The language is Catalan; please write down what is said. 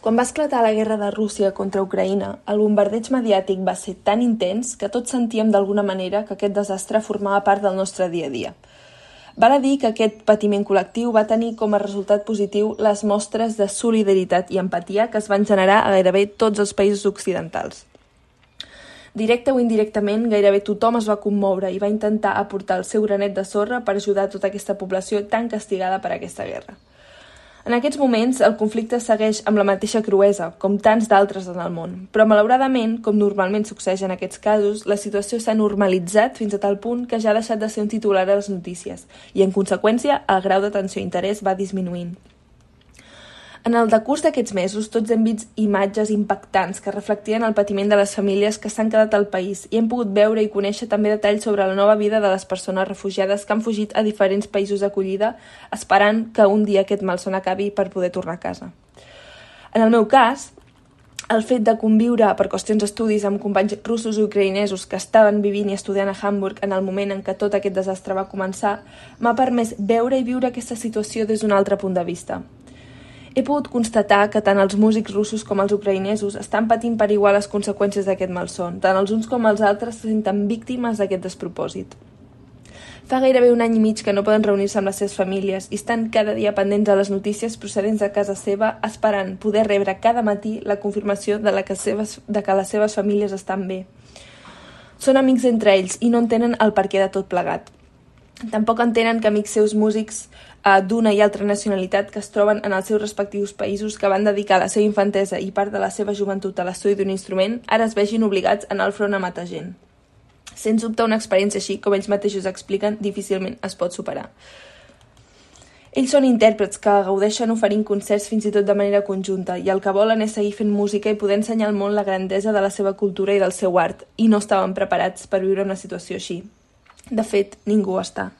Quan va esclatar la guerra de Rússia contra Ucraïna, el bombardeig mediàtic va ser tan intens que tots sentíem d'alguna manera que aquest desastre formava part del nostre dia a dia. Val a dir que aquest patiment col·lectiu va tenir com a resultat positiu les mostres de solidaritat i empatia que es van generar a gairebé tots els països occidentals. Directe o indirectament, gairebé tothom es va commoure i va intentar aportar el seu granet de sorra per ajudar tota aquesta població tan castigada per aquesta guerra. En aquests moments, el conflicte segueix amb la mateixa cruesa, com tants d'altres en el món, però malauradament, com normalment succeeix en aquests casos, la situació s'ha normalitzat fins a tal punt que ja ha deixat de ser un titular a les notícies i, en conseqüència, el grau d'atenció i interès va disminuint. En el decurs d'aquests mesos, tots hem vist imatges impactants que reflectien el patiment de les famílies que s'han quedat al país i hem pogut veure i conèixer també detalls sobre la nova vida de les persones refugiades que han fugit a diferents països d'acollida esperant que un dia aquest malson acabi per poder tornar a casa. En el meu cas, el fet de conviure per qüestions d'estudis amb companys russos i ucraïnesos que estaven vivint i estudiant a Hamburg en el moment en què tot aquest desastre va començar m'ha permès veure i viure aquesta situació des d'un altre punt de vista. He pogut constatar que tant els músics russos com els ucraïnesos estan patint per igual les conseqüències d'aquest malson. Tant els uns com els altres se senten víctimes d'aquest despropòsit. Fa gairebé un any i mig que no poden reunir-se amb les seves famílies i estan cada dia pendents de les notícies procedents de casa seva, esperant poder rebre cada matí la confirmació de que les seves famílies estan bé. Són amics entre ells i no entenen el perquè de tot plegat. Tampoc entenen que amics seus músics d'una i altra nacionalitat que es troben en els seus respectius països que van dedicar la seva infantesa i part de la seva joventut a l'estudi d'un instrument ara es vegin obligats a anar al front a matar gent. Sens dubte, una experiència així, com ells mateixos expliquen, difícilment es pot superar. Ells són intèrprets que gaudeixen oferint concerts fins i tot de manera conjunta i el que volen és seguir fent música i poder ensenyar al món la grandesa de la seva cultura i del seu art, i no estaven preparats per viure una situació així. De fet, ningú està.